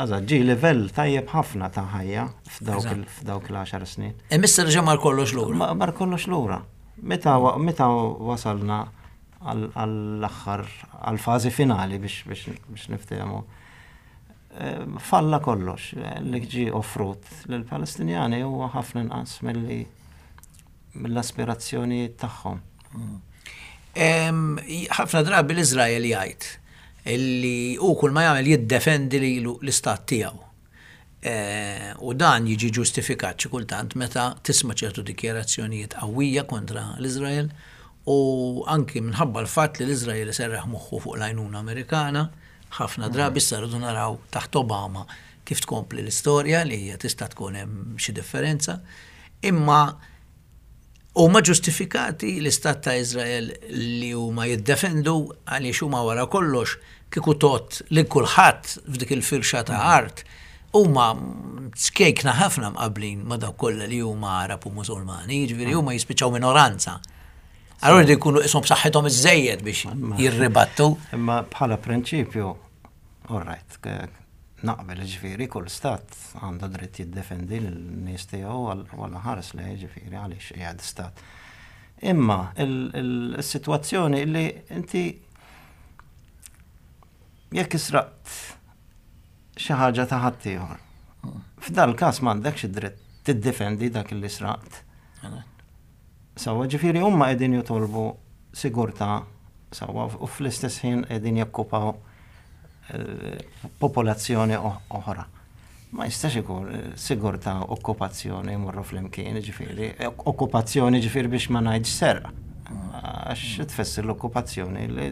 Eżatt, ġi livell tajjeb ħafna ta' ħajja f'dawk l-10 snin. E mister ġa mar kollox lura. Mar kollox lura. Meta meta wasalna għall-aħħar għall-fażi finali biex niftehmu. Eh, falla kollox li ġi offrut lill-Palestinjani huwa ħafna inqas milli mill-aspirazzjonijiet tagħhom. Ħafna drabi l-Iżrael jgħid li hu kull ma jagħmel jiddefendi lilu l-istat tiegħu. Eh, u dan jiġi ġustifikat xi kultant meta tisma' ċertu dikjarazzjonijiet qawwija kontra l-Iżrael u anki minħabba l-fatt li l-Iżrael iserraħ moħħu fuq l-għajnuna Amerikana, ħafna drabi issa rridu naraw taħt Obama kif tkompli l-istorja li hija tista' tkun hemm xi differenza. Imma huma ġustifikati l-Istat ta' Iżrael li huma jiddefendu għaliex huma wara kollox kieku tgħodd lil kulħadd f'dik il-firxa ta' art huma ċkejkna ħafna mqabblin ma' dawk kollha li huma Għarab u Musulmani, jiġifieri huma jispiċċaw minoranza. Allura jridu jkunu qishom b'saħħithom iżżejjed biex jirribattu. Imma bħala prinċipju, all right, Naqbel, jiġifieri kull stat għandu dritt jiddefendi lin-nies tiegħu u Alla ħares lejh, jiġifieri għaliex qiegħed stat. Imma is-sitwazzjoni li inti jekk israqt xi ħaġa ta' ħaddieħor. F'dal każ m'għandekx id-dritt tiddefendi dak li sraqt. Sewwa, ġifieri huma qegħdin jitolbu sigurtà sewwa u fl-istess ħin qegħdin jokkupaw eh, popolazzjoni oħra. Ma jistax ikun eh, sigurtà okkupazzjoni jmorru flimkien, ġifieri, okkupazzjoni ġifieri biex ma ngħidx serq. Għax tfisser l-okkupazzjoni li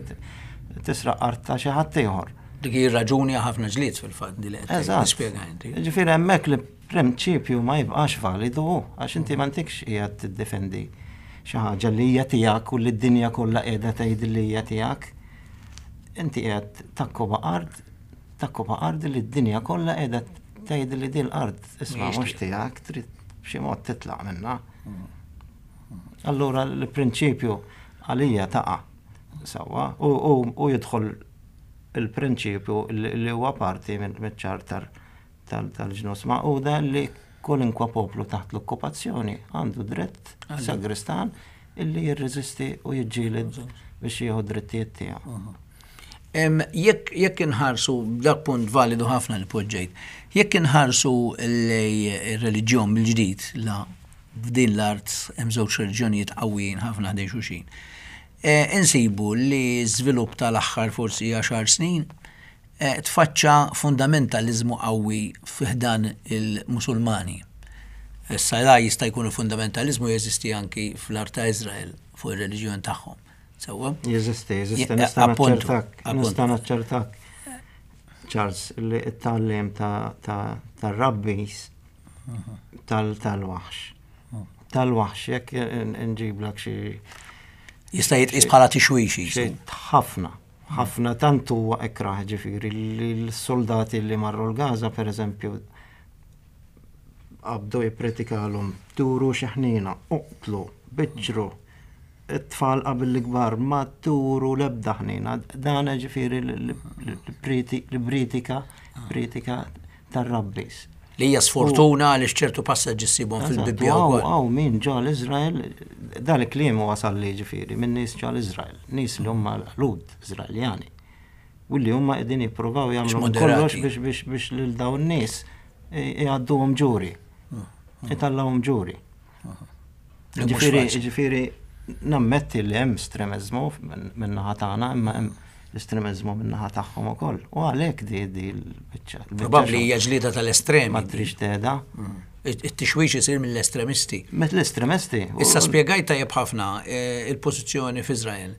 tisraq art ta' xi ħadd ieħor. Dik hi raġuni ħafna ġlied fil-fatt li qed tispjega inti. Ġifieri hemmhekk li prinċipju ma jibqax validu għax inti m'għandekx qiegħed tiddefendi xi ħaġa li hija tiegħek u li d-dinja kollha qiegħda tgħid li hija tiegħek. Inti qiegħed takkuba art, takkuba art li d-dinja kollha qiegħda tgħid li din l-art isma' mhux tiegħek, trid b'xi mod titlaq minnha. Allura l-prinċipju għalija taqa' sewwa u jidħol il-prinċipju li huwa parti mill-ċarter tal-Ġnus Magħquda li Kwalunkwe poplu taħt l-okkupazzjoni għandu dritt sagristan illi jirreżisti u jiġġieled biex jieħu drittijiet tiegħu. Jekk jekk inħarsu dak punt validu ħafna li poġġejt, jekk inħarsu lej ir-reliġjon mill-ġdid la f'din l-art hemm żewġ reliġjonijiet qawwijin ħafna ħdejn xulxin. E, insibu li żvilupp tal-aħħar forsi għaxar snin e, tfaċċa fundamentaliżmu qawwi fi ħdan il-Musulmani. Issa la jista' jkun il-fundamentaliżmu jeżisti anki fl-art ta' Iżrael fuq ir-reliġjon tagħhom. Sewwa? Jeżisti, jeżisti, nista' naċċertak, nista' naċċertak. Charles, li t-tagħlim ta' rabbis tal-waħx. Tal-waħx, jekk nġiblek xi. Jista' jitqis bħala tixwix. Ħafna, ħafna tant huwa ikrah ġifieri li l-soldati li marru l-Gaza pereżempju qabdu jippretikalhom turu xi ħnina, uqtlu, biċċru, it-tfal qabel l-ikbar ma turu l-ebda ħnina. Dan ġifieri l-pritika, pritika tar-rabbis. Li hija sfortuna għaliex ċertu passaġġi ssibhom fil-Bibbja wkoll. Hawn min ġo l-Iżrael, dan il-kliem wasal li ġifieri minn nies ġo l-Iżrael, nies li huma Lhud Iżraeljani. U li huma qegħdin jippruvaw jagħmlu kollox biex biex biex lil dawn nies jgħadduhom ġuri. Itallahom ġuri. Ġifieri, ġifieri nammetti li hemm estremiżmu min-naħa tagħna, imma hemm l-estremiżmu min-naħa tagħhom ukoll. U għalhekk di di l-biċċa. Probabbli hija ġlieda tal-estremi. Ma trix teda. Mm. It-tixwix isir mill-estremisti. Mill-estremisti. Issa spjegajt tajjeb ħafna eh, il-pożizzjoni f'Iżrael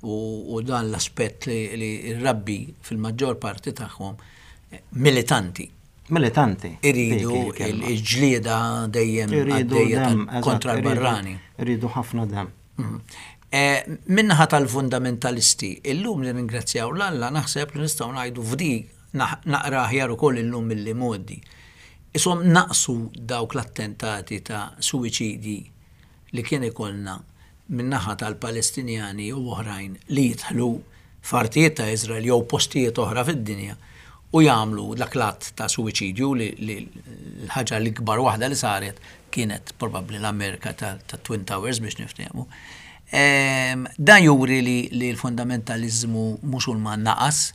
u dan l-aspett li r-rabbi fil-maġġor parti tagħhom eh, militanti Militanti. Iridu il-ġlieda dejjem għaddejja kontra l-barrani. Iridu ħafna dem. Mhm. Eh, minnaħa tal-fundamentalisti, illum li ringrazzjaw l-Alla naħseb li nistgħu ngħidu f'di naqra aħjar ukoll illum milli modi. Isom naqsu dawk l-attentati ta' suwiċidji li kien ikollna min-naħa tal-Palestinjani u oħrajn li jidħlu f'artijiet ta' Iżrael jew postijiet oħra fid-dinja u jagħmlu dak l-att ta' suwiċidju li l-ħaġa l-ikbar waħda li saret kienet probabbli l-Amerika tat-Twin Towers biex niftehmu. Ehm, dan juri li l-fundamentaliżmu Musulman naqas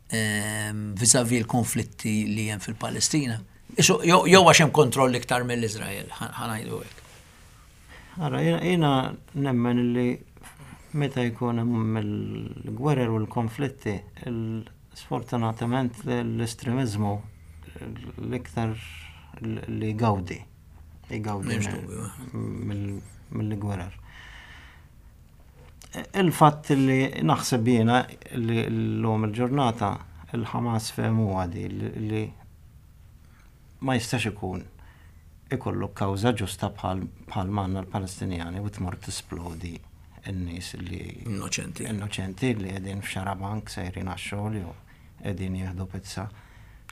ehm, vis-a-vis l-konflitti li hemm fil-Palestina. Jew għax hemm kontroll iktar mill-Iżrael, ħanajdu hekk. Ara, jiena nemmen li meta jkun hemm il-gwerer u l-konflitti, sfortunatament l-estremiżmu l-iktar li gawdi. Jgawdi mill-gwerer. Il-fatt li naħseb jiena li l-lum il-ġurnata il-Ħamas fehmuha di li ma jistax ikun ikollu kawża ġusta bħal bħal m'għandna l-Palestinjani u tmur tisplodi n-nies li Innoċenti. Innoċenti li qegħdin f'xarabank sejrin għax-xogħol jew qegħdin jieħdu pizza.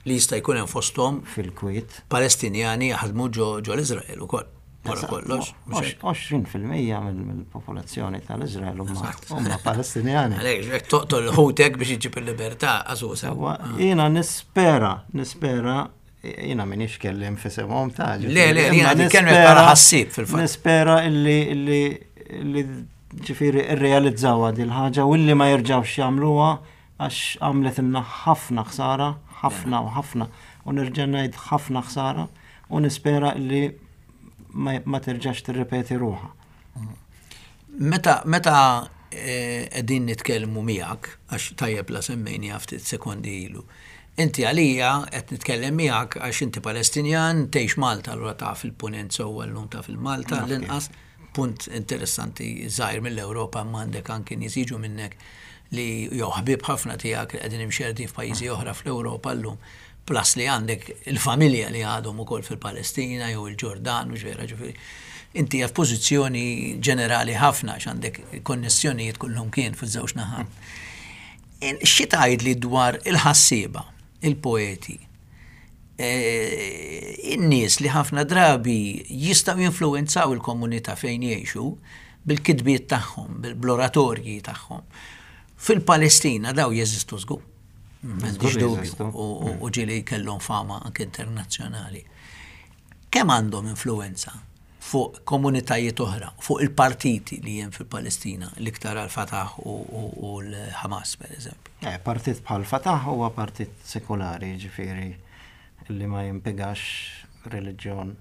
Li jista' jkun hemm fosthom fil-kwiet. Palestinjani jaħdmu ġo ġo l-Iżrael ukoll. Wara kollox. 20% mill-popolazzjoni tal-Iżrael huma Palestinjani. Għalhekk jekk toqtol ħutek biex iġġib il-libertà, għażuż. Jiena nispera, nispera jiena minix kellim f'isimhom ta' Le, le, jiena nitkellem bħala ħassieb fil-fatt. Nispera illi illi ġifieri irrealizzawha din ħaġa u illi ma jerġgħux jagħmluha għax għamletilna ħafna ħsara, ħafna u ħafna, u nerġa' ngħid ħafna ħsara, u nispera li ma terġax tirrepeti ruħha. Meta meta eh, qegħdin nitkellmu miegħek, għax tajjeb la semmejni ftit sekondi ilu, inti għalija qed nitkellem miegħek għax inti Palestinjan, tgħix Malta, allura taf il-punent sewwa llum taf il-Malta l-inqas. Punt interessanti żgħir mill-Ewropa imma għandek anki nies jiġu minnek li jew ħbieb ħafna tiegħek li qegħdin imxerrdin f'pajjiżi oħra fl-Ewropa llum, plus li għandek il-familja li għadhom ukoll fil-Palestina jew il-Ġordan, mhux vera ġifieri. Inti hija f'pożizzjoni ġenerali ħafna għax għandek konnessjonijiet kullumkien fiż-żewġ naħat. Xi tgħidli dwar il-ħassieba, il-poeti, in-nies li ħafna drabi jistgħu jinfluwenzaw il-komunità fejn jgħixu bil-kitbiet tagħhom, bl-oratorji tagħhom. Fil-Palestina daw jeżistu żgur. M'għandix dubju u ġieli kellhom fama anke internazzjonali. Kemm għandhom influwenza fuq komunitajiet oħra, fuq il-partiti li hemm fil-Palestina, l-iktar għal-Fatah u l-Hamas, per eżempju? Eh, partit bħal Fatah huwa partit sekulari, ġifieri li ma jimpigax reliġjon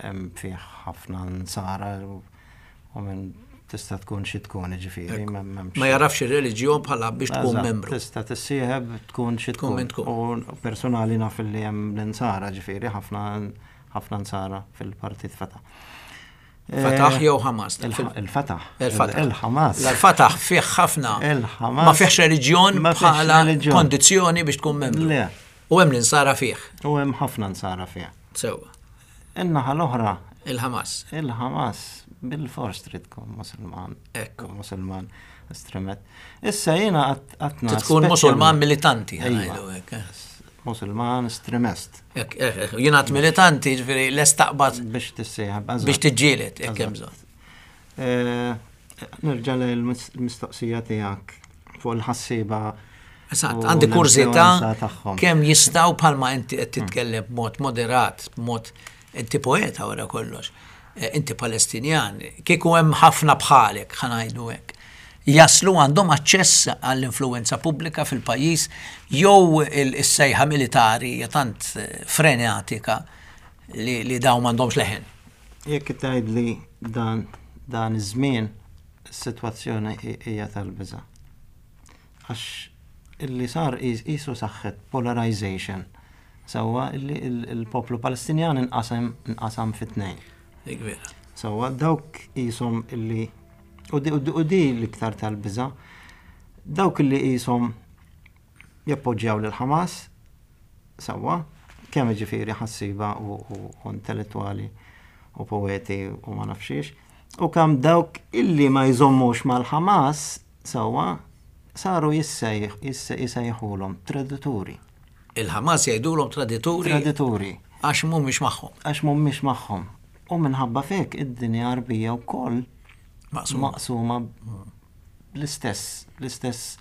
hemm fih ħafna nsara u minn tista' tkun xi tkun, ġifieri. Ma jarafx ir-reliġjon bħala biex tkun membru. Tista' tissieħeb tkun xi tkun. U personali naf li hemm l-insara, ġifieri, ħafna ħafna nsara fil-partit Fatah. Fatah jew Hamas? Il-Fatah. Il-Fatah. Il-Hamas. Il-Fatah fih ħafna. Il-Hamas. Ma fihx reliġjon bħala kondizzjoni biex tkun membru. Le. U hemm l-insara fih. U hemm ħafna nsara fih. Sewwa. In-naħa l-oħra. Il-Hamas. Il-Hamas bil-fors trid tkun Musulman. Ekku. Musulman estremet. Issa jiena għatna. Tkun Musulman militanti. Eh. Musulman estremist. Jiena għat militanti, ġifieri l-estaqbad. Biex tissieħab. Biex tiġġieled, jekk hemm bżonn. Eh, nerġa' l-mistoqsija tiegħek fuq il-ħassiba. Eżatt, għandi kurżità kemm jistgħu bħalma inti qed titkellem b'mod moderat, b'mod inti poeta wara kollox, eh, inti Palestinjan, kieku hemm ħafna bħalek ħanajdu hekk. Jaslu għandhom aċċess għall-influenza pubblika fil-pajjiż jew is-sejħa militari hija tant eh, frenetika li, li dawn m'għandhomx leħen. Jekk tgħidli dan dan iż-żmien is-sitwazzjoni hija tal-biża'. Għax illi sar qisu saħħet polarization sewwa illi l-poplu Palestinjan inqasam inqasam fi tnejn. Dik vera. Sewwa dawk qishom illi u di l-iktar tal-biża' dawk illi qishom jappoġġjaw lil Hamas Sewwa, kemm jiġifieri ħassieba u intellettwali u poeti u ma nafx xiex, u kemm dawk illi ma jżommux mal-Ħamas sewwa saru jissejħulhom tradituri. Il-Ħamas jgħidulhom tradituri? Tradituri. Għax mhumiex magħhom. Għax mhumiex magħhom. U minħabba f'hekk id-dinja Għarbija wkoll maqsuma bl-istess, bl-istess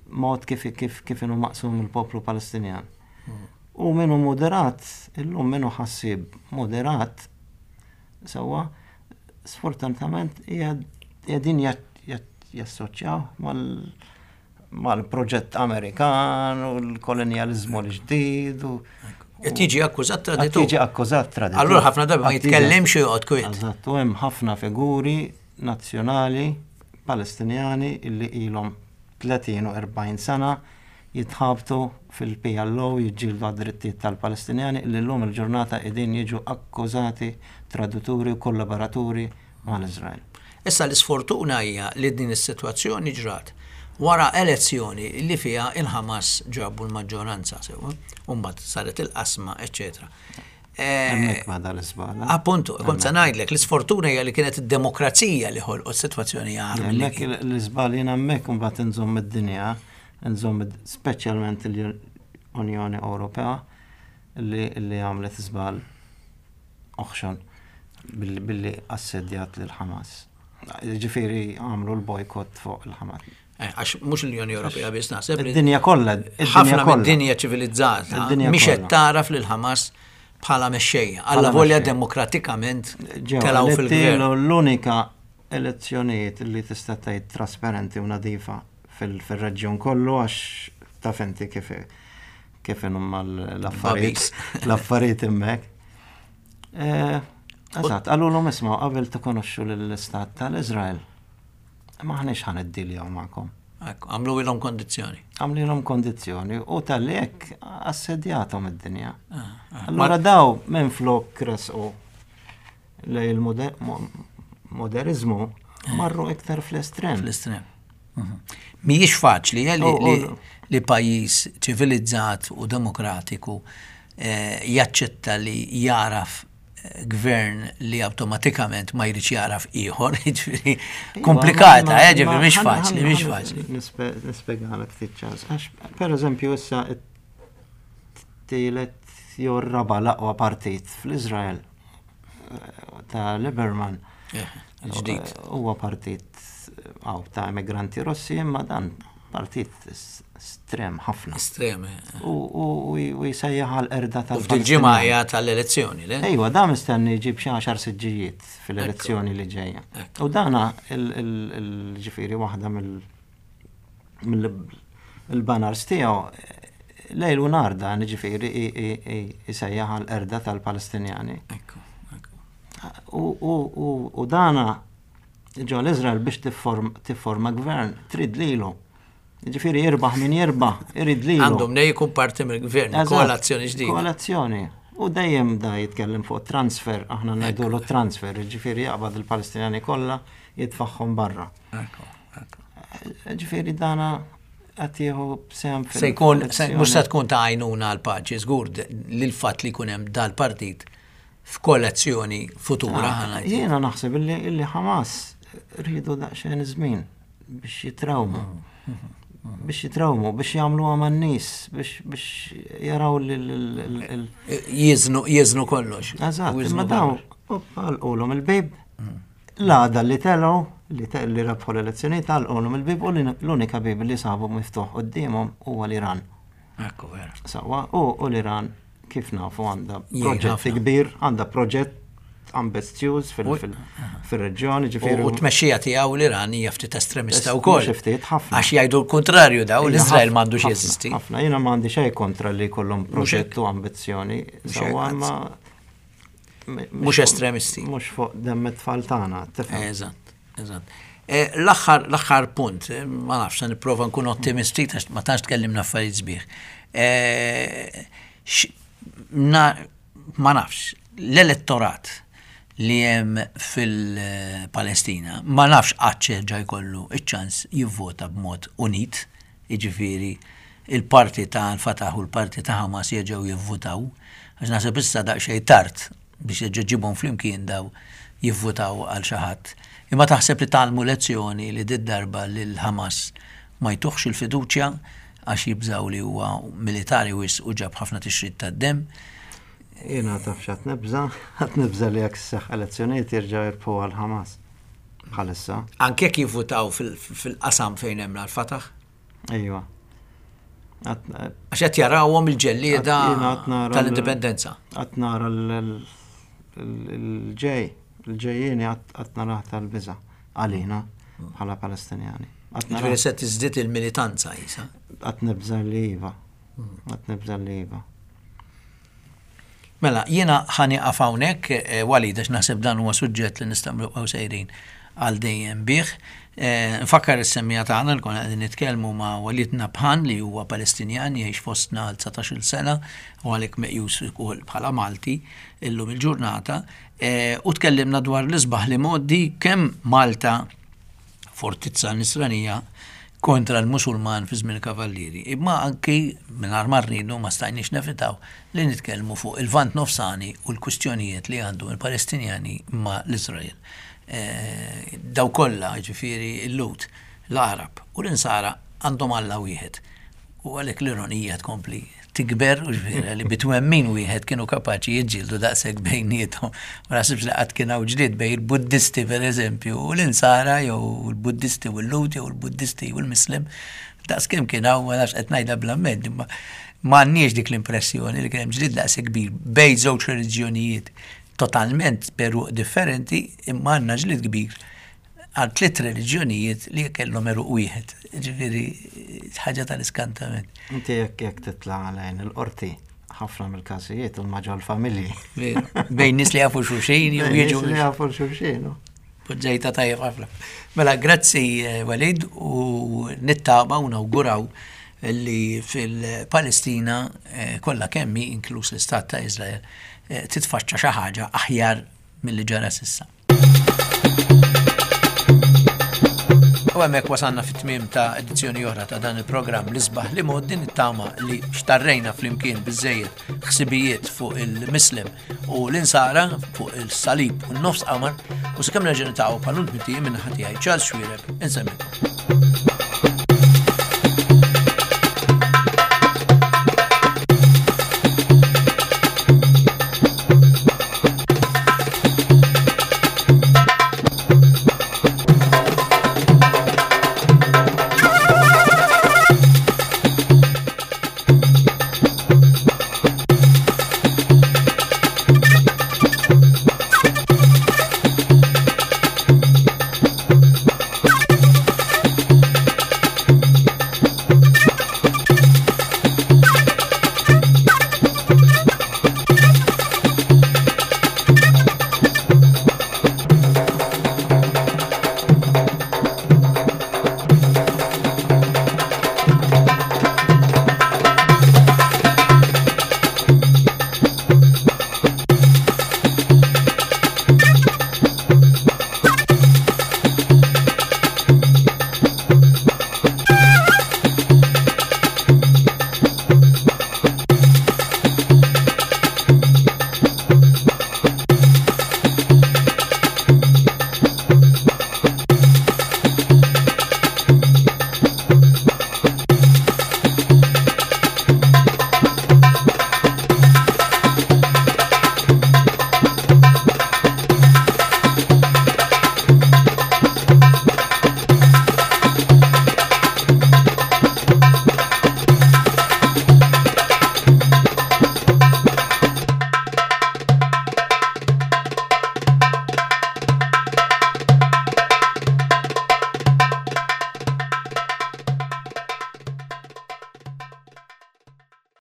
mod kif kif kif inhu maqsum il-poplu Palestinjan. U min hu moderat, illum min hu ħassieb moderat, sewwa, sfortunatament qegħdin jassoċjaw mal mal-proġett Amerikan u l-kolonjaliżmu l-ġdid u Qed jiġi akkużat traditur. Qed jiġi akkużat traditur. Allura ħafna drabi ma jitkellimx u joqgħod kwiet. Eżatt, u hemm ħafna figuri nazzjonali Palestinjani illi ilhom 30 u 40 sena jitħabtu fil-PLO jiġġieldu għad-drittijiet tal-Palestinjani illi llum il-ġurnata qegħdin jiġu akkużati tradituri u kollaboraturi mal-Iżrael. Issa l-isfortuna hija li din is-sitwazzjoni ġrat wara elezzjoni li fiha il-Ħamas ġabu l-maġġoranza sewwa, u mbagħad saret il-qasma, eċċetera. Hemmhekk bada l-iżbal. Eh, appuntu, kont se ngħidlek, l-isfortuna hija li kienet id-demokrazija li ħolqot sitwazzjoni agħar. Hemmhekk l-iżbal jiena hemmhekk imbagħad inżomm id-dinja, inżomm speċjalment l-Unjoni Ewropea li għamlet żball oħxon billi assedjat lil Ħamas. Ġifieri għamlu l-bojkott fuq il-Ħamas. Eh, għax mhux l-Unjoni Ewropea biss naħseb. Id-dinja kollha. Ħafna mid-dinja ċivilizzata mhix qed taraf lil Ħamas bħala mexxejja. Alla volja demokratikament telgħu fil-gvern. L-unika elezzjonijiet li tista' tgħid trasparenti u nadifa fil-reġjun kollu għax taf inti kif kif inhuma l-affarijiet l-affarijiet hemmhekk. Eh, eżatt, qalulhom isma' qabel tikonoxxu lill-istat tal-Iżrael. M'aħniex ħa niddiljaw magħkom. Ekku, għamluilhom kondizzjoni. Għamlilhom kondizzjoni u talli hekk assedjathom id-dinja. Ah, ah. Allura daw minn flok resqu lej il-moderizmu eh. marru iktar fl-estrem. Fl-estrem. Mhm. Mhijiex faċli eh, li pajjiż ċivilizzat u demokratiku eh, jaċċetta li jaraf gvern li awtomatikament ma jridx jaraf ieħor, jiġifieri iva, komplikata, eh, ġifieri mhix faċli, mhix faċli. Nispjegalek ftit ċans. Għax pereżempju issa tielet jew raba l-aqwa partit fl-Iżrael eh, ta' Lieberman. Eh, ġdid. Huwa partit għaw ta' emigranti Russi imma dan. Partit estrem ħafna. Estrem. Eh. U jsejjaħ għal erda tal U f'dil-ġimgħa hija tal-elezzjoni, le? Ejwa, da mistenni jġib xi għaxar siġġijiet fil-elezzjoni li ġejja. U dana il-ġifieri waħda mill-banners tiegħu lejl u nar dan ġifieri jsejjaħ għal erda tal-Palestinjani. U dana Ġo l-Izrael biex tifforma gvern, trid lilu. Ġifieri jirbaħ min jirbaħ, irid lilu. Għandhom nej jkun parti mill-gvern, koalazzjoni ġdida. Koalazzjoni. U dejjem da jitkellem fuq transfer, aħna ngħidulu transfer, ġifieri jaqbad il-Palestinjani kollha jitfaħħom barra. Ġifieri dana qed jieħu sehem Se jkun, mhux se tkun ta' għajnuna għal paċi, żgur li l-fatt li jkun hemm dal-partit f'koalizzjoni futura. Ah, jiena naħseb illi Hamas rridu daqsxejn żmien biex jitrawmu. Biex jitrawmu, biex jagħmlu għaman nies, biex jaraw li l. Jiżnu kollox. Eżatt, imma daw għalqulhom il-bib. L-għada li telgħu li rebħu l-elezzjonijiet għalqulhom il-bib u l-unika bib li sabu miftuħ quddiemhom huwa l-Iran. Ekku vera. Sawa, u l-Iran kif nafu għandha proġett kbir, għandha proġett ambizzjuż fil-reġjoni, ġifieri. U t-tmexxija tiegħu l-Iran hija ftit estremista wkoll. Ftit ħafna. Għax jgħidu l-kuntrarju daw l-Iżrael m'għandux jeżisti. Ħafna, jiena m'għandi xejn kontra li jkollhom proġett u ambizzjoni, sewwa ma Mhux estremisti. Mhux fuq demm it-tfal tagħna, tifhem. Eżatt, eżatt. Eh, l-aħħar l-aħħar punt, eh, ma nafx, se nipprova nkun ottimisti ma tantx tkellimna affarijiet sbieħ. Eh, ma nafx, l-elettorat li hemm fil-Palestina ma nafx qatt jerġa' jkollu iċ-ċans jivvota b'mod unit, jiġifieri il-parti ta' Al-Fatah u l-parti ta' Hamas jerġgħu jivvutaw, għax naħseb issa daqsxejn tard biex terġa' ġġibhom flimkien daw jivvutaw għal xi ħadd. Imma taħseb li tgħallmu lezzjoni li did-darba lil Hamas ma jtuhx il-fiduċja għax jibżgħu li huwa militari wisq u ġab ħafna tixrid tad-demm? Jiena taf x'qed nibża'? Qed nibża' li jekk isseħħ elezzjonijiet jerġgħu jirbħuha l-Hamas. Bħalissa. Anke jekk jivvutaw fil-qasam fejn hemm l-Fatah? Ejwa. Għax qed jarawhom il-ġellieda tal-indipendenza. Qatt nara l-ġej, l-ġejjieni qatt narah tal-biża' għalina bħala Palestinjani. Ġifieri se tiżdied il-militanza isa. Qatt nibża' li iva. Qatt nibża' li iva. Mela, jiena ħa nieqaf hawnhekk, eh, Walid, għax naħseb dan huwa suġġett li nistgħu nibqgħu sejrin għal dejjem bih. Eh, nfakkar is-semmija tagħna li konna qegħdin nitkellmu ma' Walid Nabhan li huwa Palestinjan jgħix fostna għal 19-il sena u għalhekk meqjus ukoll bħala Malti illum il-ġurnata. Eh, u tkellimna dwar l-isbaħ li modi kemm Malta fortizza nisranija kontra l-Musulman fi żmien il-Kavallieri. Imma anki mingħajr ma rridu ma stajniex nevitaw li nitkellmu fuq il-Lvant Nofsani u l-kwistjonijiet li għandhom il-Palestinjani ma' l-Iżrael. Eh, daw kollha, ġifieri l-Lhud, l-Għarab u l-Insara għandhom Alla wieħed. U għalhekk l-ironija tkompli tikber u ġifieri li bitwemmin wieħed kienu kapaċi jiġġieldu daqshekk bejniethom. Ma naħsibx li qatt kien hawn ġlied bejn il-Buddisti pereżempju u l-Insara jew il-Buddisti u l-Lhud jew il-Buddisti u l-Muslim. Daqskemm kien hawn ma nafx qed ngħidha bl-amment imma m'għandniex dik l-impressjoni li kien hemm ġlied daqshekk kbir bejn żewġ reliġjonijiet totalment b'għeruq differenti imma għandna ġlied kbir għal tliet reliġjonijiet li kellhom għeruq wieħed. Ġifieri ħaġa tal-iskantament. Inti jekk jekk titla' għalajn il-qorti, ħafna mill-każijiet huma ġol-familji. Bejn nies li jafu xulxin jew jiġu. Li jafu xulxin. Poġġejta tajjeb ħafna. Mela, grazzi eh, Walid u nittama u nawguraw li fil-Palestina eh, kollha kemmi inkluż l-Istat ta' Izrael eh, titfaċċa xi ħaġa aħjar milli ġara s'issa. U hemmhekk wasalna fit-tmiem ta' edizzjoni oħra ta' dan il-programm l-isbaħ li mod din it-tama li xtarrejna flimkien biżejjed ħsibijiet fuq il-Muslim u l-insara fuq il-salib u n-nofs qamar u sakemm nerġa' nitaqgħu bħal minn ħatijaj Charles Xuereb insemmikom.